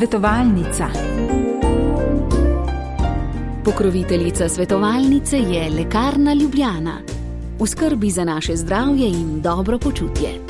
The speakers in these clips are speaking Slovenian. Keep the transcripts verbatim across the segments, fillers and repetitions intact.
Svetovalnica. Pokroviteljica svetovalnice je Lekarna Ljubljana. V skrbi za naše zdravje in dobro počutje.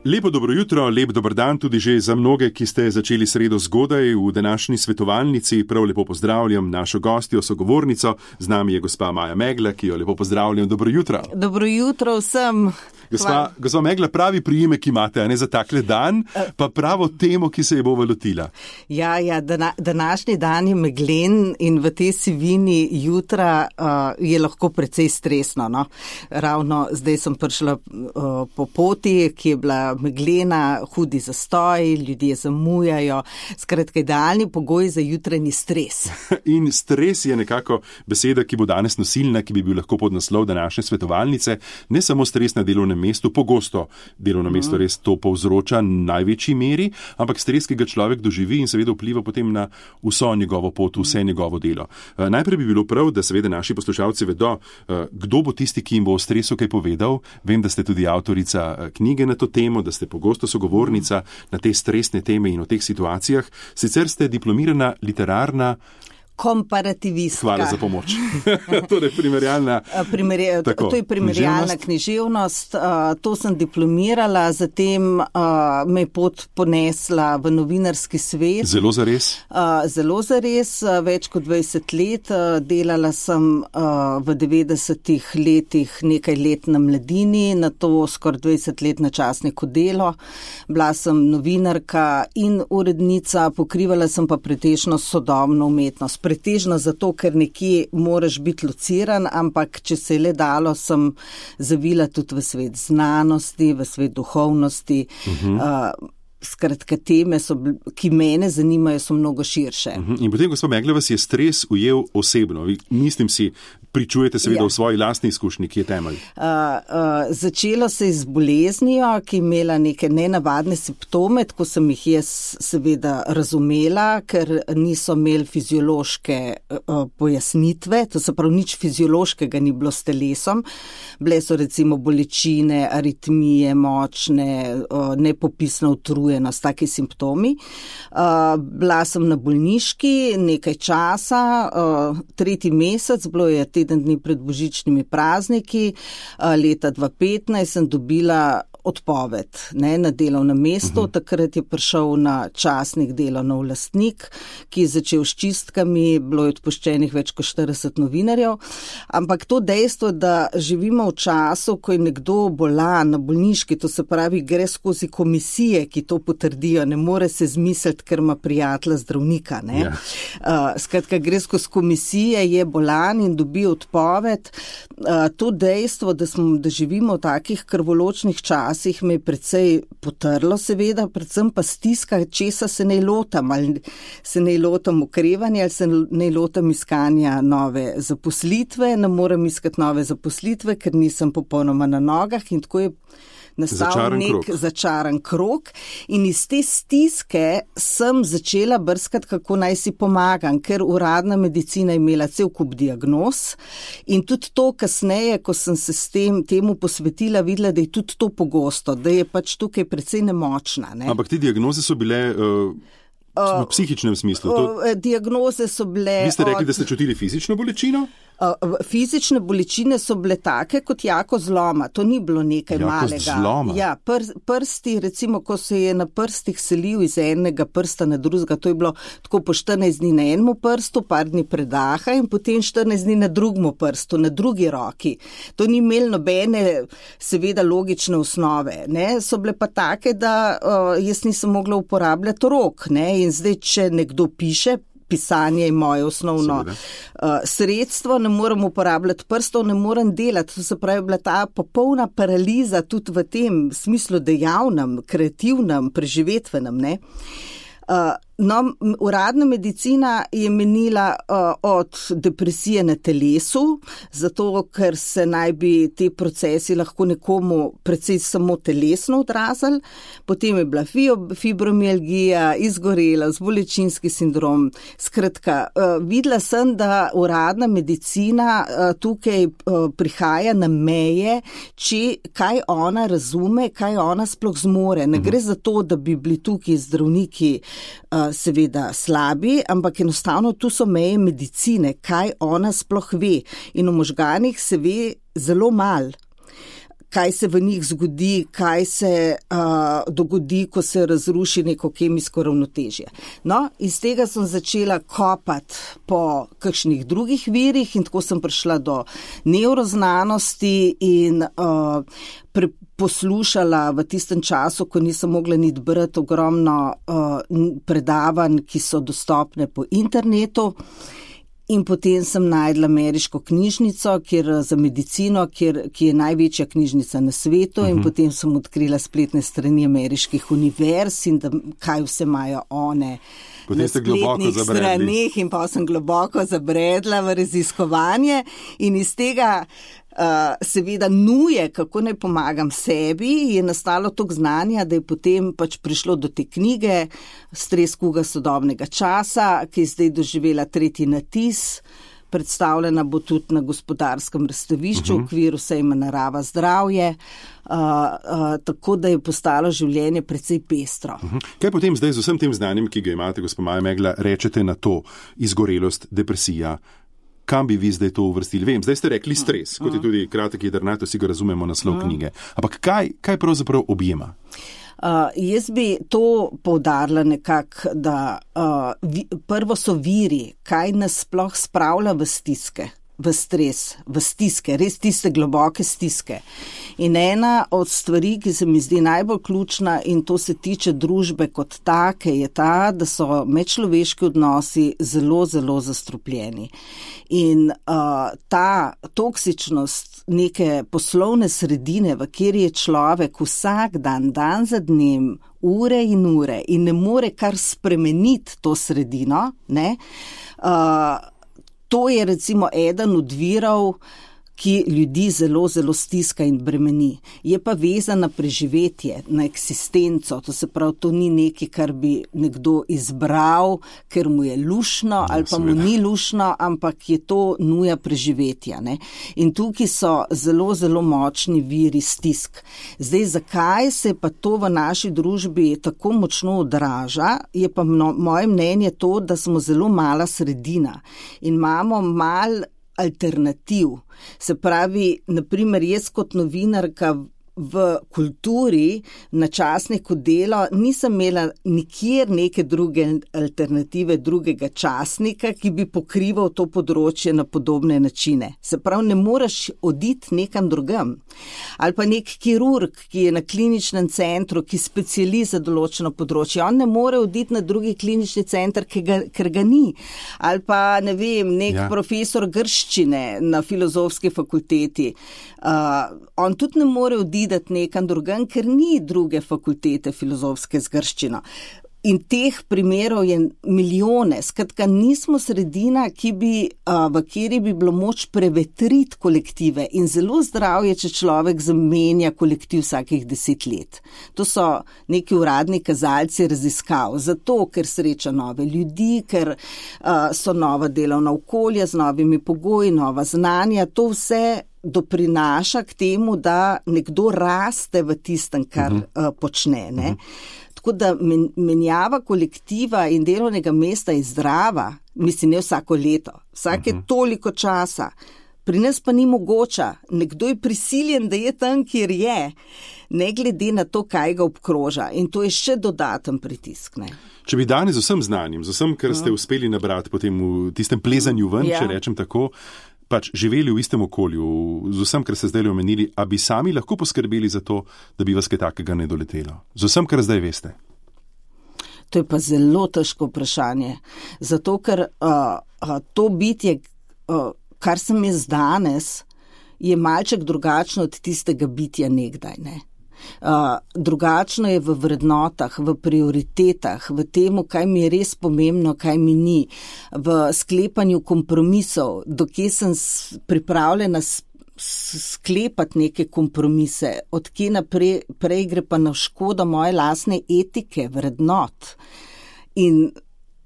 Lepo dobro jutro, lep dober dan tudi že za mnoge, ki ste začeli sredo zgodaj v današnji svetovalnici. Prav lepo pozdravljam našo gostjo, sogovornico. Z nami je gospa Maja Megla, ki jo lepo pozdravljam. Dobro jutro. Dobro jutro vsem. Gospa, gospa Megla, pravi priimek imate, a ne za takle dan, pa pravo temo, ki se je bo lotila. Ja, ja, dana, današnji dan je meglen in v tej sivini jutra uh, je lahko precej stresno. No? Ravno zdaj sem prišla uh, po poti, ki je bila meglena, hudi zastoj, ljudje zamujajo. Skratka, idealni pogoj za jutranji stres. In stres je nekako beseda, ki bo danes nosilna, ki bi bil lahko podnaslov današnje svetovalnice. Ne samo stres na delovnem mestu, pogosto delovno mesto res to povzroča v največji meri, ampak stres, ki ga človek doživi in seveda vpliva potem na vso njegovo pot, vse njegovo delo. Najprej bi bilo prav, da seveda naši poslušalci vedo, kdo bo tisti, ki jim bo o stresu kaj povedal. Vem, da ste tudi avtorica knjige na to temo, da ste pogosto sogovornica na te stresne teme in o teh situacijah. Sicer ste diplomirana literarna komparativistka. Hvala za pomoč. Torej, primerjalna. Primerja, tako, to je primerjalna književnost. književnost. Uh, to sem diplomirala, zatem uh, me je pot ponesla v novinarski svet. Zelo zares? Uh, zelo zares, uh, več kot dvajset let. Uh, delala sem uh, v devetdesetih letih nekaj let na Mladini, na to skoraj dvajset let na časniku Delo. Bila sem novinarka in urednica, pokrivala sem pa pretežno sodobno umetnost. Pretežno zato, ker nekje moraš biti lociran, ampak če se je le dalo, sem zavila tudi v svet znanosti, v svet duhovnosti. Uh-huh. Uh, skratka, teme, so, ki mene zanimajo, so mnogo širše. Uh-huh. In potem, gospod Megla, vas je stres ujel osebno. Vi, mislim si, pričujete seveda ja. v svoji lastni izkušnji, ki je temelj. Uh, uh, začelo se je z boleznijo, ki je imela neke nenavadne simptome, tako sem jih jaz seveda razumela, ker niso imeli fiziološke uh, pojasnitve, to se pravi, nič fiziološkega ni bilo s telesom. Bile so recimo bolečine, aritmije, močne, uh, nepopisna utrujenost, taki simptomi. Uh, bila sem na bolniški nekaj časa, uh, tretji mesec, bilo je teden dni pred božičnimi prazniki, leta dva tisoč petnajst sem dobila odpoved ne, na delovnem mestu. Uh-huh. Takrat je prišel na časnik delovnov lastnik, ki je začel s čistkami, bilo je odpuščenih več kot štirideset novinarjev. Ampak to dejstvo, da živimo v času, ko je nekdo bolan na bolniški, to se pravi, gre skozi komisije, ki to potrdijo, ne more se zmisliti, ker ima prijatelja zdravnika. Ne. Yeah. Uh, skratka, gre skozi komisije, je bolan in dobi odpoved. Uh, to dejstvo, da, smo, da živimo v takih krvoločnih časih, me je precej potrlo seveda, predvsem pa stiska, česa se ne lotam, ali se ne lotam okrevanja, ali se ne lotam iskanja nove zaposlitve, ne morem iskati nove zaposlitve, ker nisem popolnoma na nogah in tako je nastal začaran nek krog. začaran krog in iz te stiske sem začela brskati, kako naj si pomagam, ker uradna medicina je imela cel kup diagnoz in tudi to kasneje, ko sem se s tem temu posvetila, videla, da je tudi to pogosto, da je pač tukaj precej nemočna. Ne? Ampak te diagnoze so bile uh, v psihičnem smislu. To... Uh, diagnoze so bile... Vi ste rekli, od... da ste čutili fizično bolečino? Fizične bolečine so bile take kot jako zloma, to ni bilo nekaj jako malega. Zloma. Ja, pr, prsti, recimo, ko se je na prstih selil iz enega prsta na drugega, to je bilo tako po štirinajst dni na enem prstu, par dni predaha in potem štirinajst dni na drugem prstu, na drugi roki. To ni imelo nobene, seveda, logične osnove. Ne? So bile pa take, da uh, jaz nisem mogla uporabljati rok. Ne? In zdaj, če nekdo piše, pisanje je moje osnovno uh, sredstvo, ne morem uporabljati prstov, ne morem delati. To se pravi, bila ta popolna paraliza tudi v tem smislu dejavnem, kreativnem, preživetvenem. Ne? Uh, No, uradna medicina je menila uh, od depresije na telesu, zato ker se naj bi te procesi lahko nekomu predvsej samo telesno odrazili. Potem je bila fibromialgija, izgorelost, bolečinski sindrom. Skratka, uh, videla sem, da uradna medicina uh, tukaj uh, prihaja na meje, če kaj ona razume, kaj ona sploh zmore. Ne gre za to, da bi bili tukaj zdravniki uh, seveda slabi, ampak enostavno tu so meje medicine, kaj ona sploh ve. In v možganih se ve zelo mal, kaj se v njih zgodi, kaj se uh, dogodi, ko se razruši neko kemijsko ravnotežje. No, iz tega sem začela kopati po kakšnih drugih virih in tako sem prišla do nevroznanosti in uh, pre, poslušala v tistem času, ko nisem mogla niti brati ogromno uh, predavanj, ki so dostopne po internetu. In potem sem najdla ameriško knjižnico, kjer, za medicino, kjer, ki je največja knjižnica na svetu, uh-huh. in potem sem odkrila spletne strani ameriških univerz in da, kaj vse imajo one potem na spletnih stranih in pa sem globoko zabredla v raziskovanje in iz tega Uh, seveda nuje, kako naj pomagam sebi, je nastalo toliko znanja, da je potem pač prišlo do te knjige Stres kuga sodobnega časa, ki je zdaj doživela tretji natis, predstavljena bo tudi na gospodarskem razstavišču uh-huh. v okviru sejma Narava zdravje, uh, uh, tako da je postalo življenje precej pestro. Uh-huh. Kaj potem zdaj z vsem tem znanjem, ki ga imate, gospa Maja Megla, rečete na to izgorelost, depresija? Kam bi vi zdaj to uvrstili? Vem, zdaj ste rekli stres, kot je tudi kratek jedrnat, vsi ga razumemo naslov knjige. Ampak kaj, kaj pravzaprav objema? Uh, jaz bi to poudarila nekako, da uh, vi, prvo so viri, kaj nas sploh spravlja v stiske, v stres, v stiske, res tiste globoke stiske. In ena od stvari, ki se mi zdi najbolj ključna in to se tiče družbe kot take, je ta, da so medčloveški odnosi zelo, zelo zastrupljeni. In uh, ta toksičnost neke poslovne sredine, v kjer je človek vsak dan, dan za dnem, ure in ure in ne more kar spremeniti to sredino, ne, uh, to je recimo eden od virov, ki ljudi zelo, zelo stiska in bremeni. Je pa vezan na preživetje, na eksistenco. To se pravi, to ni nekaj, kar bi nekdo izbral, ker mu je lušno ali pa mu ni lušno, ampak je to nuja preživetja. Ne? In tukaj so zelo, zelo močni viri stisk. Zdaj, zakaj se pa to v naši družbi tako močno odraža, je pa mno, moje mnenje to, da smo zelo mala sredina in imamo mal alternativ. Se pravi, naprimer, jaz kot novinarka v kulturi na časniku Delo nisem imela nikjer neke druge alternative, drugega časnika, ki bi pokrival to področje na podobne načine. Se pravi, ne moreš oditi nekam drugam. Ali pa nek kirurg, ki je na kliničnem centru, ki speciali za določeno področje, on ne more oditi na drugi klinični center, ga, ker ga ni. Ali pa, ne vem, nek ja. profesor grščine na filozofski fakulteti. Uh, on tudi ne more oditi nekam drugam, ker ni druge fakultete filozofske z grščino. In teh primerov je milijone. Skratka, nismo sredina, ki bi, uh, v kateri bi bilo moč prevetriti kolektive in zelo zdrav je, če človek zamenja kolektiv vsakih deset let. To so neki uradni kazalci raziskav, zato, ker sreča nove ljudi, ker uh, so nova delovna okolja z novimi pogoji, nova znanja, to vse doprinaša k temu, da nekdo raste v tistem, kar uh-huh. uh, počne. Ne? Uh-huh. Tako da men, menjava kolektiva in delovnega mesta je zdrava, mislim, ne vsako leto, vsake uh-huh. toliko časa. Pri nas pa ni mogoča. Nekdo je prisiljen, da je tam, kjer je, ne glede na to, kaj ga obkroža. In to je še dodaten pritisk. Ne? Če bi danes z vsem znanjem, z vsem, kar ste uspeli nabrati potem v tistem plezanju ven, ja. če rečem tako, pač živeli v istem okolju, z vsem, kar ste zdaj omenili, a bi sami lahko poskrbeli za to, da bi vas kaj takega ne doletelo? Z vsem, kar zdaj veste. To je pa zelo težko vprašanje. Zato, ker uh, uh, to bitje, uh, kar sem jaz danes, je malček drugačno od tistega bitja nekdaj. Ne? Uh, drugačno je v vrednotah, v prioritetah, v temu, kaj mi je res pomembno, kaj mi ni, v sklepanju kompromisov, dokje sem pripravljena sklepati neke kompromise, odkje naprej prej gre pa na škodo moje lastne etike, vrednot. In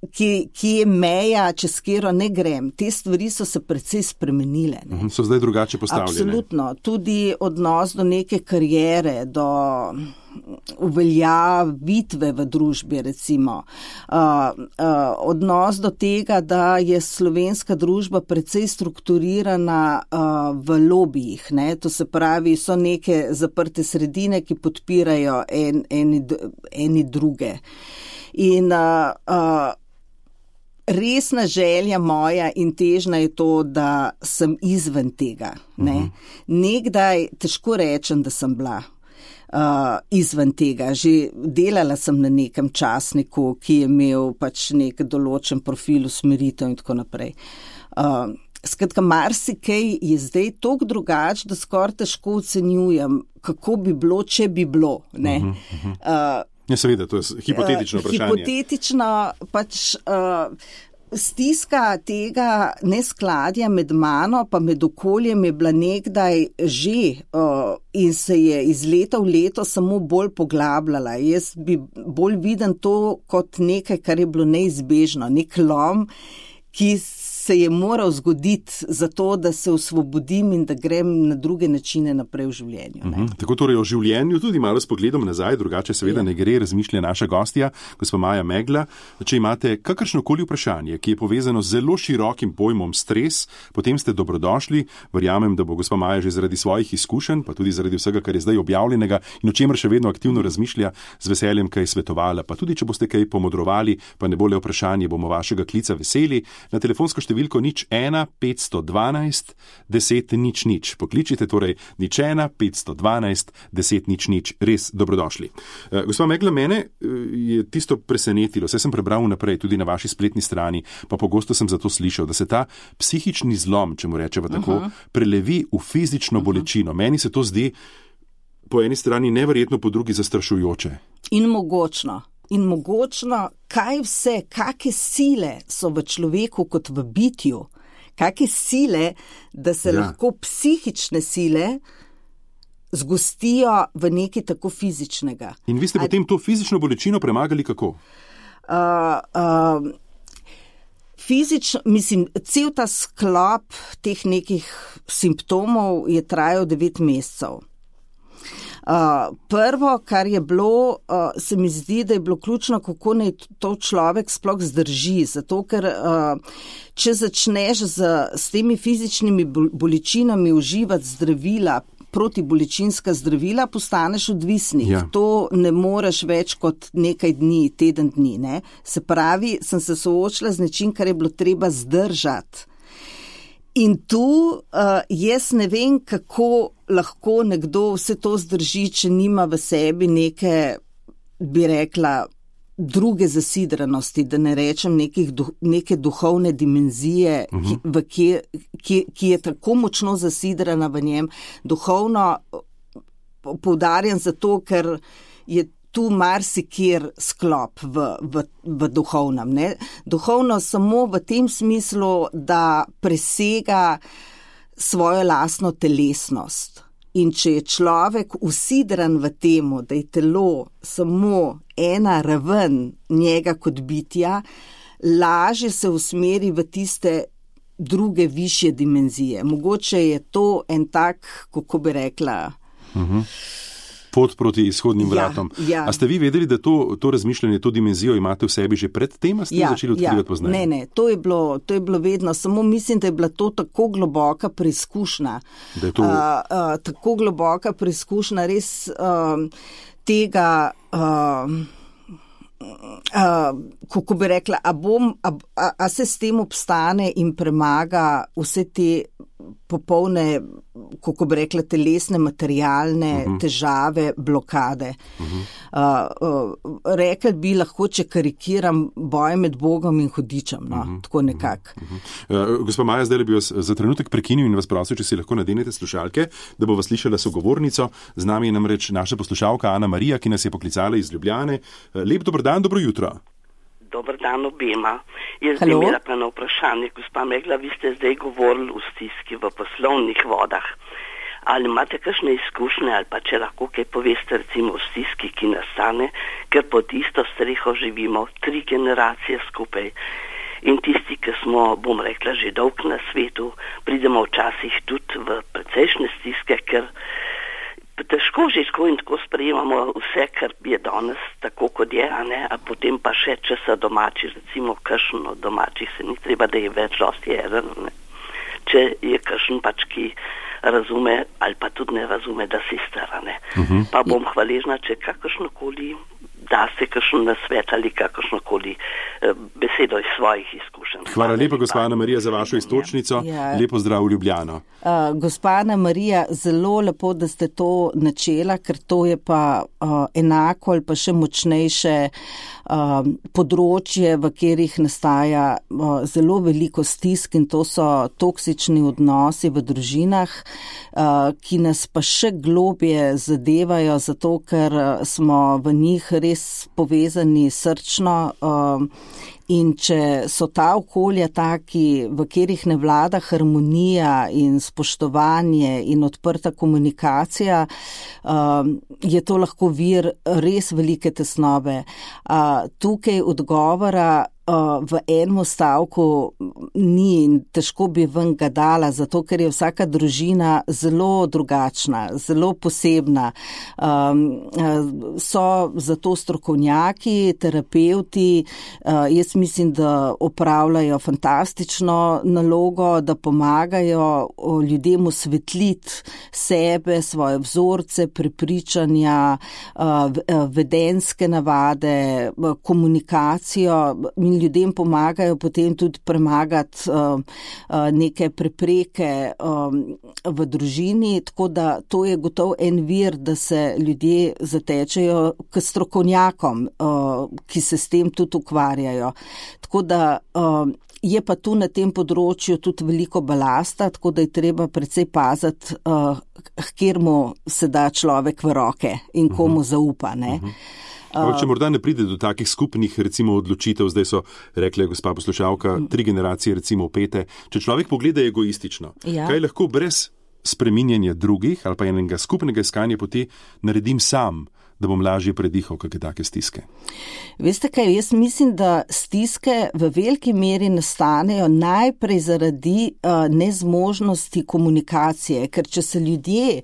Ki, ki je meja, čez katero ne grem. Te stvari so se precej spremenile. Ne? So zdaj drugače postavljene. Absolutno. Tudi odnos do neke karijere, do uveljavitve v družbi, recimo. Uh, uh, odnos do tega, da je slovenska družba precej strukturirana uh, v lobijih. Ne? To se pravi, so neke zaprte sredine, ki podpirajo en, eni, eni druge. In uh, uh, resna želja moja in težna je to, da sem izven tega. Ne? Uh-huh. Nekdaj težko rečem, da sem bila uh, izven tega. Že delala sem na nekem časniku, ki je imel pač nek določen profil, usmeritev in tako naprej. Uh, skratka, marsikaj je zdaj toliko drugače, da skoraj težko ocenjujem, kako bi bilo, če bi bilo. Ne? Uh-huh, uh-huh. Uh, Ja, seveda, to je hipotetično uh, vprašanje. Hipotetično pač uh, stiska tega neskladja med mano pa med okoljem je bila nekdaj že uh, in se je iz leta v leto samo bolj poglabljala. Jaz bi bolj viden to kot nekaj, kar je bilo neizbežno, nek lom, ki se je moral zgoditi zato, da se osvobodim in da grem na druge načine naprej v življenju. Ne? Uh-huh. Tako torej o življenju, tudi malo s pogledom nazaj, drugače seveda ne gre, razmišlja naša gostja, gospa Maja Megla. Če imate kakršnokoli vprašanje, ki je povezano z zelo širokim pojmom stres, potem ste dobrodošli. Verjamem, da bo gospa Maja že zaradi svojih izkušenj, pa tudi zaradi vsega, kar je zdaj objavljenega in o čemer še vedno aktivno razmišlja, z veseljem kaj svetovala. Pa tudi, če boste kaj pomodrovali, pa ne bo le vprašanje, bomo vašega klica veseli. Na telefonsko številko nič ena petsto dvanajst deset nič nič. Pokličite torej nič ena petsto dvanajst deset nič nič. Res dobrodošli. Uh, gospa Megla, mene uh, je tisto presenetilo, saj sem prebral naprej tudi na vaši spletni strani, pa pogosto sem zato slišal, da se ta psihični zlom, če mu rečeva tako, uh-huh. prelevi v fizično uh-huh. bolečino. Meni se to zdi po eni strani neverjetno, po drugi zastrašujoče. In mogočno. In mogočno, kaj vse, kakšne sile so v človeku kot v bitju, kakšne sile, da se ja. lahko psihične sile zgostijo v nekaj tako fizičnega. In vi ste A... potem to fizično bolečino premagali kako? Uh, uh, fizično, mislim, cel ta sklop teh nekih simptomov je trajal devet mesecev. Uh, prvo, kar je bilo, uh, se mi zdi, da je bilo ključno, kako naj to človek sploh zdrži, zato ker uh, če začneš z, s temi fizičnimi bolečinami uživati zdravila, protibolečinska zdravila, postaneš odvisnik. Ja. To ne moreš več kot nekaj dni, teden dni. Ne? Se pravi, sem se soočila z nečim, kar je bilo treba zdržati. In tu uh, jaz ne vem, kako lahko nekdo vse to zdrži, če nima v sebi neke, bi rekla, druge zasidranosti, da ne rečem nekih, neke duhovne dimenzije, uh-huh. ki, v kje, ki, ki je tako močno zasidrana v njem. Duhovno poudarjam zato, ker je tu marsikjer sklop v, v, v duhovnem. Ne? Duhovno samo v tem smislu, da presega svojo lastno telesnost. In če je človek usidran v temu, da je telo samo ena raven njega kot bitja, lažje se usmeri v tiste druge višje dimenzije. Mogoče je to en tak, kako bi rekla, uh-huh. pot proti izhodnim ja, vratom. Ja. A ste vi vedeli, da to, to razmišljanje, to dimenzijo imate v sebi že pred tem, a ste ja, začeli odkrivati ja. poznanje? Ne, ne, to je, bilo, to je bilo vedno, samo mislim, da je bila to tako globoka preizkušnja. Da je to... Uh, uh, tako globoka preizkušnja res uh, tega, uh, uh, kako bi rekla, a, bom, a, a, a se s tem obstane in premaga vse te popolne, kako bi rekla, telesne, materialne uh-huh. težave, blokade. Uh-huh. Uh, uh, rekel bi lahko, če karikiram, boj med Bogom in hudičem, no, uh-huh. tako nekako. Uh-huh. Uh, gospa Maja, zdaj bi vas za trenutek prekinil in vas prosil, če si lahko nadenete slušalke, da bo vas slišala sogovornico. Z nami je namreč naša poslušalka Ana Marija, ki nas je poklicala iz Ljubljane. Uh, lep dober dan, dobro jutro. Dobar dan obema. Jaz bi imela pa na vprašanje, gospa Megla, vi ste zdaj govorili o stiski v poslovnih vodah. Ali imate kakšne izkušnje ali pa če lahko kaj poveste recimo o stiski, ki nastane, ker pod isto streho živimo tri generacije skupaj. In tisti, ki smo, bom rekla, že dolg na svetu, pridemo včasih tudi v precejšnje stiske, ker težko že tako in tako sprejemamo vse, kar je danes tako, kot je, a ne, a potem pa še, če so domači, recimo kakšen od domačih se ni treba, da je več dosti eden, ne. Če je kakšen pač, ki razume ali pa tudi ne razume, da si stara, ne. Uh-huh. Pa bom hvaležna, če kakršnokoli da se kakšen nasvet ali kakršnokoli eh, besedo iz svojih izkušenj. Hvala lepa, gospa Ana Marija, za vašo istočnico. Ja. Lepo zdrav v Ljubljano. Uh, gospa Ana Marija, zelo lepo, da ste to načela, ker to je pa uh, enako ali pa še močnejše uh, področje, v katerih nastaja uh, zelo veliko stisk in to so toksični odnosi v družinah, uh, ki nas pa še globje zadevajo, zato ker smo v njih res povezani srčno um, in če so ta okolja taki, v katerih ne vlada harmonija in spoštovanje in odprta komunikacija, um, je to lahko vir res velike tesnobe. Uh, tukaj odgovora v enem stavku ni in težko bi ven ga dala, zato ker je vsaka družina zelo drugačna, zelo posebna. Um, so zato strokovnjaki, terapevti, uh, jaz mislim, da opravljajo fantastično nalogo, da pomagajo ljudem osvetliti sebe, svoje vzorce, prepričanja, uh, vedenjske navade, komunikacijo in ljudem pomagajo potem tudi premagati uh, uh, neke prepreke um, v družini, tako da to je gotovo en vir, da se ljudje zatečejo k strokovnjakom, uh, ki se s tem tudi ukvarjajo. Tako da uh, je pa tu na tem področju tudi veliko balasta, tako da je treba precej paziti, uh, kjer mu se da človek v roke in komu zaupa, ne. Uh-huh. Uh, če morda ne pride do takih skupnih, recimo, odločitev, zdaj so rekle gospa poslušalka, tri generacije, recimo, pete, če človek pogleda egoistično, ja. Kaj lahko brez spreminjanja drugih ali pa enega skupnega iskanja poti naredim sam, da bom lažje predihal kakšne take stiske? Veste kaj, jaz mislim, da stiske v veliki meri nastanejo najprej zaradi uh, nezmožnosti komunikacije, ker če se ljudje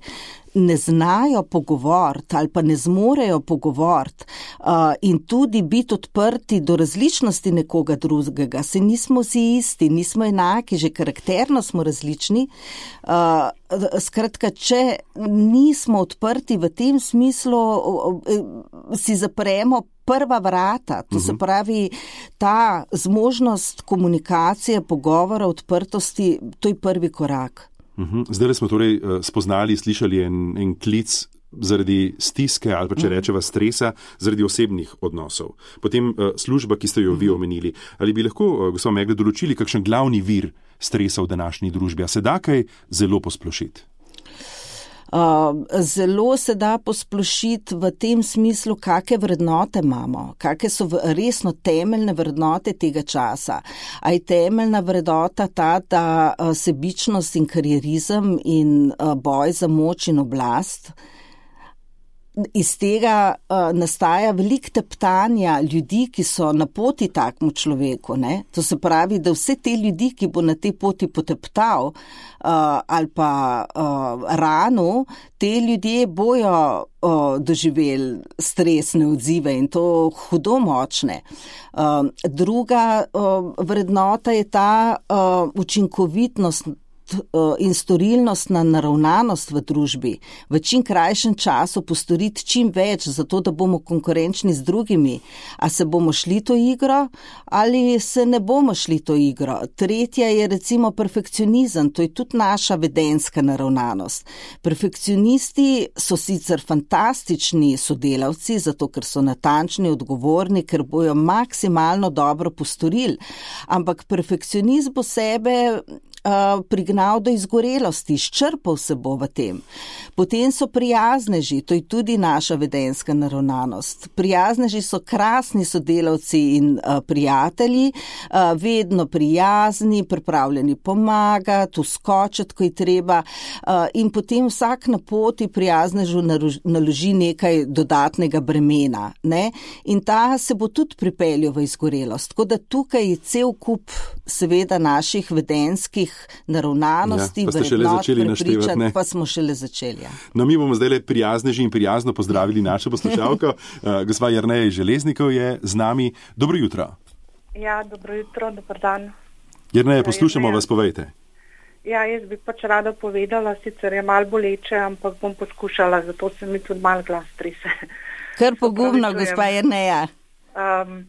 ne znajo pogovoriti ali pa ne zmorejo pogovoriti uh, in tudi biti odprti do različnosti nekoga drugega. Se nismo vsi isti, nismo enaki, že karakterno smo različni. Uh, skratka, če nismo odprti v tem smislu, uh, si zapremo prva vrata, to se pravi ta zmožnost komunikacije, pogovora, odprtosti, to je prvi korak. Zdaj smo torej spoznali, slišali en, en klic zaradi stiske ali pa če rečeva stresa, zaradi osebnih odnosov. Potem uh, služba, ki ste jo vi omenili. Ali bi lahko, uh, gospod Megla, določili kakšen glavni vir stresa v današnji družbi? A se da kaj zelo posplošiti? Uh, zelo se da posplošiti v tem smislu, kakšne vrednote imamo, kakšne so resno temeljne vrednote tega časa. A je temeljna vrednota ta, da uh, sebičnost in karierizem in uh, boj za moč in oblast, iz tega uh, nastaja veliko teptanja ljudi, ki so na poti takmu človeku, ne? To se pravi, da vse te ljudi, ki bo na tej poti poteptal uh, ali pa uh, ranu, te ljudje bojo uh, doživeli stresne odzive in to hudo močne. Uh, druga uh, vrednota je ta uh, učinkovitnost in storilnostna naravnanost v družbi, v čim krajšem času postoriti čim več, zato da bomo konkurenčni z drugimi. A se bomo šli to igro ali se ne bomo šli to igro? Tretja je recimo perfekcionizem, to je tudi naša vedenska naravnanost. Perfekcionisti so sicer fantastični sodelavci, zato ker so natančni, odgovorni, ker bojo maksimalno dobro postorili, ampak perfekcionist bo sebe Uh, prignal do izgorelosti, izčrpal se bo v tem. Potem so prijazneži, to je tudi naša vedenska naravnanost. Prijazneži so krasni sodelavci in uh, prijatelji, uh, vedno prijazni, pripravljeni pomagati, uskočiti, ko je treba, uh, in potem vsak na poti prijaznežu naloži nekaj dodatnega bremena, ne? In ta se bo tudi pripeljal v izgorelost. Tako da tukaj je cel kup seveda naših vedenskih naravnanosti, ja, vrednot, prepričanj, pa smo šele začeli. Ja. No, mi bomo zdaj le prijazneži in prijazno pozdravili našo poslušalko. uh, gospa Jerneja iz Železnikov je z nami. Dobro jutro. Ja, dobro jutro, dober dan. Jerneja, poslušamo vas, povejte. Ja, jaz bi pač rada povedala, sicer je malo boleče, ampak bom poskušala, zato se mi tudi malo glas trese. Kar pogumno, gospa Jerneja. Um,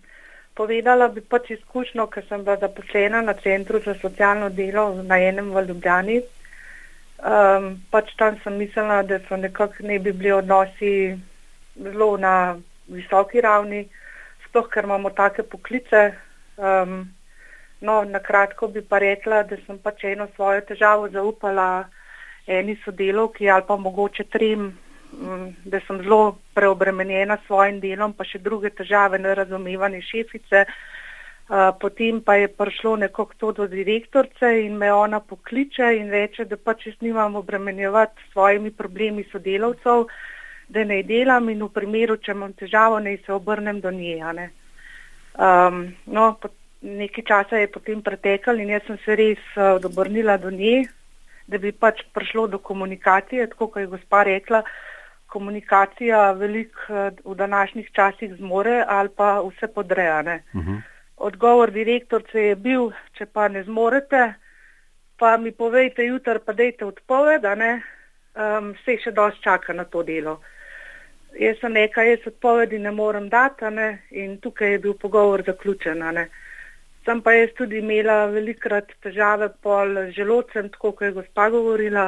Povedala bi pač izkušnjo, ker sem bila zaposlena na Centru za socialno delo na enem v Ljubljani. Um, pač tam sem mislila, da so nekako ne bi bili odnosi zelo na visoki ravni, sploh ker imamo take poklice. Um, no, na kratko bi pa rekla, da sem pač eno svojo težavo zaupala eni sodelavki ali pa mogoče trem, da sem zelo preobremenjena s svojim delom, pa še druge težave, nerazumevanje šefice. Uh, potem pa je prišlo nekako to do direktorce in me ona pokliče in reče, da pač jaz nimam obremenjevati s svojimi problemi sodelavcev, da ne delam in v primeru, če imam težavo, ne se obrnem do nje. Ne? Um, no, nekaj časa je potem pretekal in jaz sem se res uh, obrnila do nje, da bi pač prišlo do komunikacije, tako kot je gospa rekla, komunikacija veliko v današnjih časih zmore ali pa vse podreja. Uh-huh. Odgovor direktorce je bil, če pa ne zmorete, pa mi povejte jutri, pa dejte odpoved, um, vse še dosti čaka na to delo. Jaz sem nekaj, jaz odpovedi ne morem dati, ne? In tukaj je bil pogovor zaključen. Ne? Sem pa jaz tudi imela velikrat težave pol želodcem, tako kot je gospa govorila,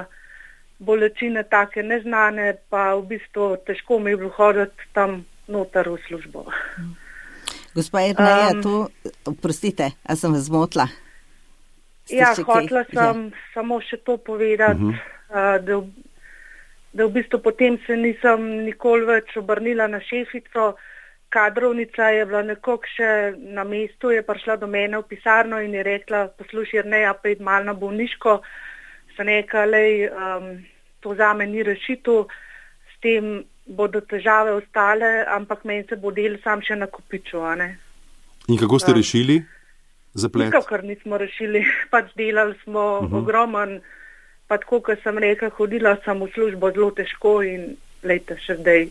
bolečine take neznane, pa v bistvu težko mi je bilo hoditi tam noter v službo. Gospa Jerneja, um, to, oprostite, a sem vas zmotila? Ja, hotela sem ja. samo še to povedati, uh-huh. uh, da, da v bistvu potem se nisem nikoli več obrnila na šefico. Kadrovnica je bila nekako še na mestu, je prišla do mene v pisarno in je rekla, poslušaj Jerneja, pa id malo na bolniško. Se nekaj, lej, um, to zame ni rešitev, s tem bodo težave ostale, ampak meni se bo del sam še nakopičil. In kako ste um, rešili zaplet? Nikakor nismo rešili, pač delali smo uh-huh. ogromen, pa tako, kot sem rekla, hodila sem v službo zelo težko in lejte še zdaj.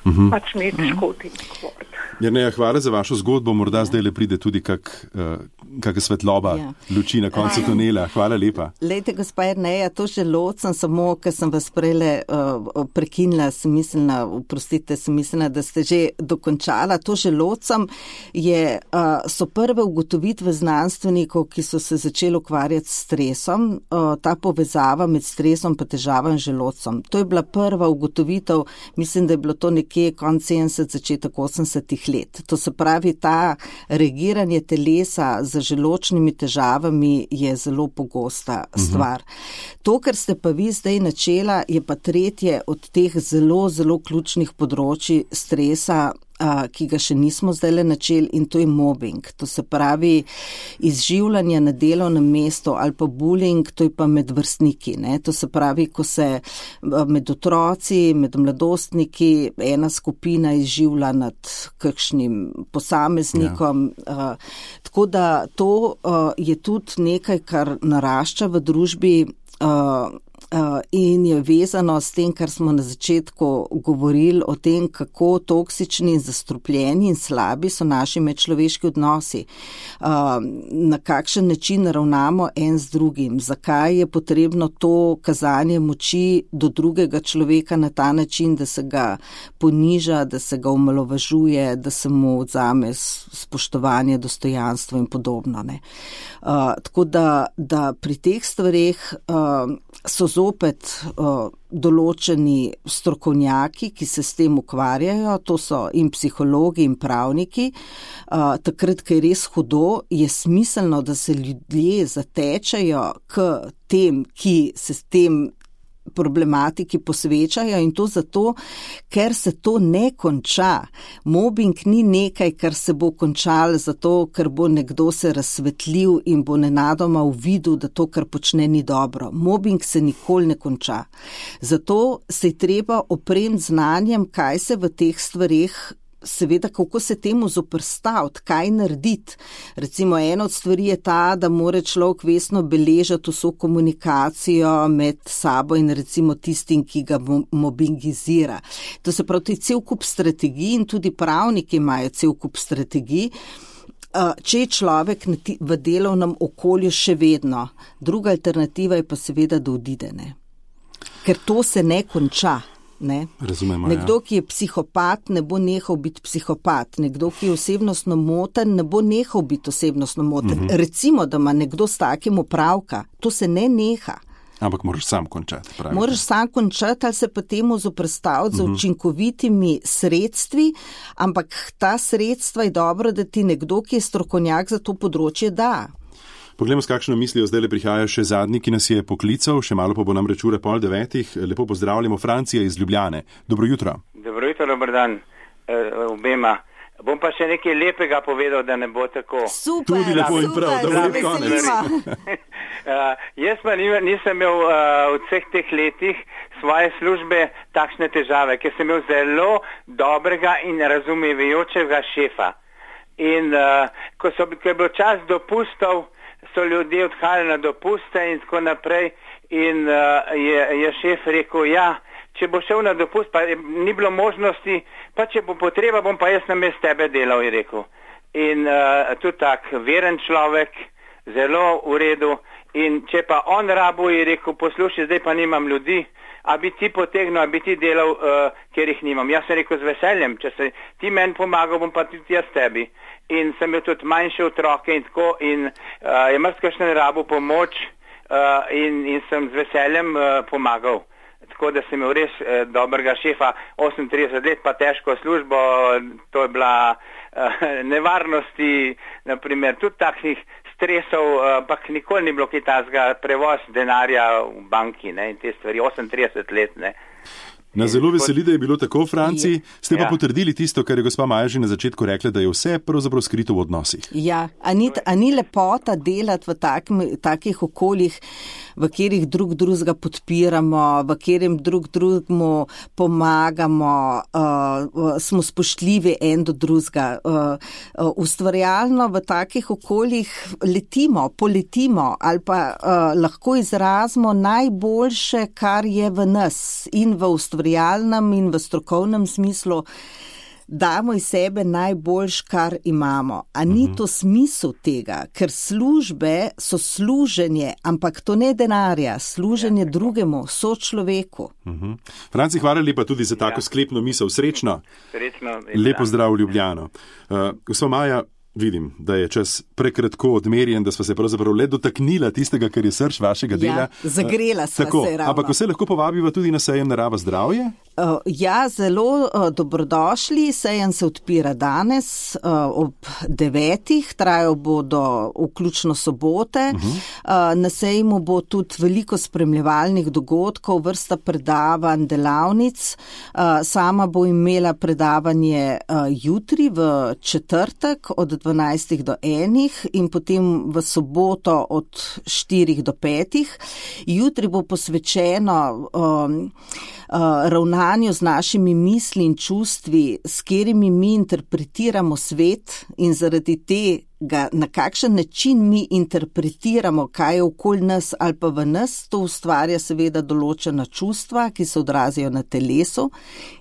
Uh-huh. Pač mi je težko tem govoriti. Jerneja, hvala za vašo zgodbo, morda zdaj le pride tudi kak, uh, kak svetloba, ja. luči na koncu tunela. Hvala lepa. Lejte, gospa Jerneja, to želodcem, samo, ker sem vas prejle uh, prekinila, sem mislila, oprostite, sem mislila, da ste že dokončala. To želodcem je, uh, so prve ugotovitve znanstvenikov, ki so se začeli ukvarjati s stresom, uh, ta povezava med stresom pa težavam želodcem. To je bila prva ugotovitev, mislim, da je bilo to nekje konec sedemdesetih, začetek osemdesetih let. To se pravi, ta reagiranje telesa z želodčnimi težavami je zelo pogosta stvar. Uh-huh. To, kar ste pa vi zdaj načela, je pa tretje od teh zelo, zelo ključnih področji stresa, ki ga še nismo zdaj le načeli, in to je mobbing. To se pravi izživljanje na delovnem mestu ali pa bullying, to je pa med vrstniki. Ne? To se pravi, ko se med otroci, med mladostniki ena skupina izživlja nad kakšnim posameznikom. Ja. Tako da to je tudi nekaj, kar narašča v družbi. in je vezano s tem, kar smo na začetku govorili o tem, kako toksični in zastrupljeni in slabi so naši medčloveški odnosi. Na kakšen način ravnamo en z drugim, zakaj je potrebno to kazanje moči do drugega človeka na ta način, da se ga poniža, da se ga omalovažuje, da se mu odzame spoštovanje, dostojanstvo in podobno. Ne. Tako da, da pri teh stvareh so zopet uh, določeni strokovnjaki, ki se s tem ukvarjajo, to so in psihologi in pravniki. Uh, takrat, ko je res hudo, je smiselno, da se ljudje zatečajo k tem, ki se s tem problematiki posvečajo, in to zato, ker se to ne konča. Mobbing ni nekaj, kar se bo končalo zato, ker bo nekdo se razsvetlil in bo nenadoma uvidel, da to, kar počne, ni dobro. Mobbing se nikoli ne konča. Zato se je treba opremiti znanjem, kaj se v teh stvareh, seveda, kako se temu zoprstaviti, kaj narediti. Recimo, ena od stvari je ta, da mora človek vestno beležati vso komunikacijo med sabo in recimo tistim, ki ga mobbingizira. To se pravi, to je cel kup strategij in tudi pravniki imajo cel kup strategij, če je človek v delovnem okolju še vedno. Druga alternativa je pa seveda, da odide, ne. Ker to se ne konča. Ne? Razumemo, nekdo, ja. ki je psihopat, ne bo nehal biti psihopat. Nekdo, ki je osebnostno moten, ne bo nehal biti osebnostno moten. Uh-huh. Recimo, da ima nekdo s takim opravka, to se ne neha. Ampak moraš sam končati. Pravite. Moraš sam končati ali se pa temu zoprstaviti uh-huh. z učinkovitimi sredstvi, ampak ta sredstva je dobro, da ti nekdo, ki je strokovnjak za to področje, da. Poglejmo, s kakšno mislijo zdaj le prihaja še zadnji, ki nas je poklical, še malo pa bo nam reč ure pol devetih. Lepo pozdravljamo, Francija iz Ljubljane. Dobro jutro. Dobro jutro, dober dan uh, obema. Bom pa še nekaj lepega povedal, da ne bo tako. Super, tudi lepo in prav, da bo lep konec. uh, jaz pa nisem imel uh, v vseh teh letih svoje službe takšne težave, ker sem imel zelo dobrega in razumevajočega šefa. In uh, ko, so, ko je bil čas dopustov, so ljudje odhajali na dopuste in tako naprej, in uh, je, je šef rekel, ja, če bo šel na dopust, pa ni bilo možnosti, pa če bo potreba, bom pa jaz namest tebe delal, je rekel. In uh, tudi tak veren človek, zelo v redu, in če pa on rabo, je rekel, poslušaj, zdaj pa nimam ljudi, a bi ti potegnil, a bi ti delal, uh, ker jih nimam. Jaz sem rekel, z veseljem, če se ti meni pomagal, bom pa tudi jaz tebi. In sem imel tudi manjše otroke in tako, in uh, je marsikakšen rabo pomoč uh, in, in sem z veseljem uh, pomagal. Tako da sem imel res uh, dobrega šefa, osemintrideset let pa težko službo, to je bila uh, nevarnosti, naprimer, tudi takšnih stresov, ampak uh, nikoli ni bilo kaj tazga, prevoz denarja v banki, ne, in te stvari, osemintrideset let, ne. Na zelo veseli, da je bilo tako v Franciji. Ste pa ja. potrdili tisto, kar je gospa Maja že na začetku rekla, da je vse pravzaprav skrito v odnosih. Ja, a ni, a ni lepota delati v takim, takih okoljih, v katerih drug drugega podpiramo, v katerem drug drugemu pomagamo, uh, smo spoštljivi en do drugega. Uh, uh, ustvarjalno v takih okoljih letimo, poletimo ali pa uh, lahko izrazimo najboljše, kar je v nas in v ustvarjalnem in v strokovnem smislu, damo iz sebe najboljš, kar imamo. A ni to smisel tega? Ker službe so služenje, ampak to ne denarja, služenje drugemu, sočloveku. Uh-huh. Franci, hvala lepa tudi za tako ja. sklepno misel. Srečno. Srečno. Lepo zdrav v Ljubljano. Uh, gospa Maja, vidim, da je čas prekratko odmerjen, da sva se pravzaprav le dotaknila tistega, kar je srž vašega dela. Ja, zagrela sva Tako, se ravno. Ampak vse lahko povabiva tudi na sejem Narava zdravje? Uh, ja, zelo uh, dobrodošli. Sejem se odpira danes uh, ob devetih, trajal bo do vključno sobote. Uh-huh. Uh, na sejmu bo tudi veliko spremljevalnih dogodkov, vrsta predavanj, delavnic. Uh, sama bo imela predavanje uh, jutri v četrtek od dvanajstih do enih in potem v soboto od štirih do petih. Jutri bo posvečeno um, uh, ravnanju delovanju z našimi misli in čustvi, s katerimi mi interpretiramo svet in zaradi tega, na kakšen način mi interpretiramo, kaj je okoli nas ali pa v nas, to ustvarja seveda določena čustva, ki se odrazijo na telesu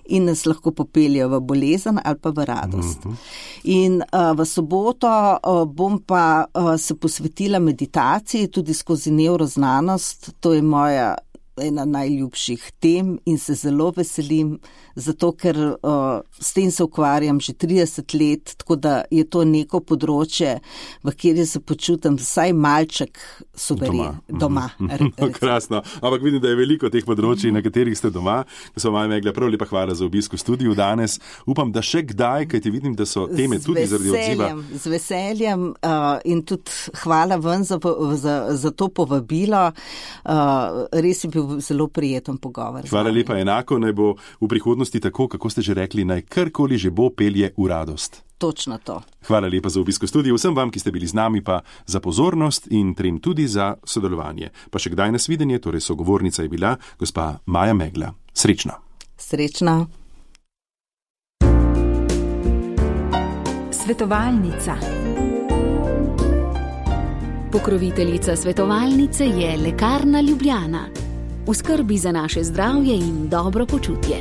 in nas lahko popeljajo v bolezen ali pa v radost. Mm-hmm. In uh, v soboto uh, bom pa uh, se posvetila meditaciji tudi skozi nevroznanost, to je moja ena najljubših tem in se zelo veselim, zato ker uh, s tem se ukvarjam že trideset let, tako da je to neko področje, v kateri se počutim vsaj malček suveren, doma. doma Krasno, ampak vidim, da je veliko teh področji, na katerih ste doma. Gospod Maja Megla, prav lepa hvala za obisk v studiu danes. Upam, da še kdaj, kajti vidim, da so teme z tudi zaradi odziva. Z veseljem uh, in tudi hvala ven za, za, za to povabilo. Uh, res je bil zelo prijeten pogovor. Hvala lepa, enako naj bo v prihodnosti tako, kako ste že rekli, naj karkoli že bo pelje v radost. Točno to. Hvala lepa za obisk v studiu, vsem vam, ki ste bili z nami, pa za pozornost in trem tudi za sodelovanje. Pa še kdaj nasvidenje, torej sogovornica je bila gospa Maja Megla. Srečno. Srečno. Svetovalnica. Pokroviteljica svetovalnice je Lekarna Ljubljana. V skrbi za naše zdravje in dobro počutje.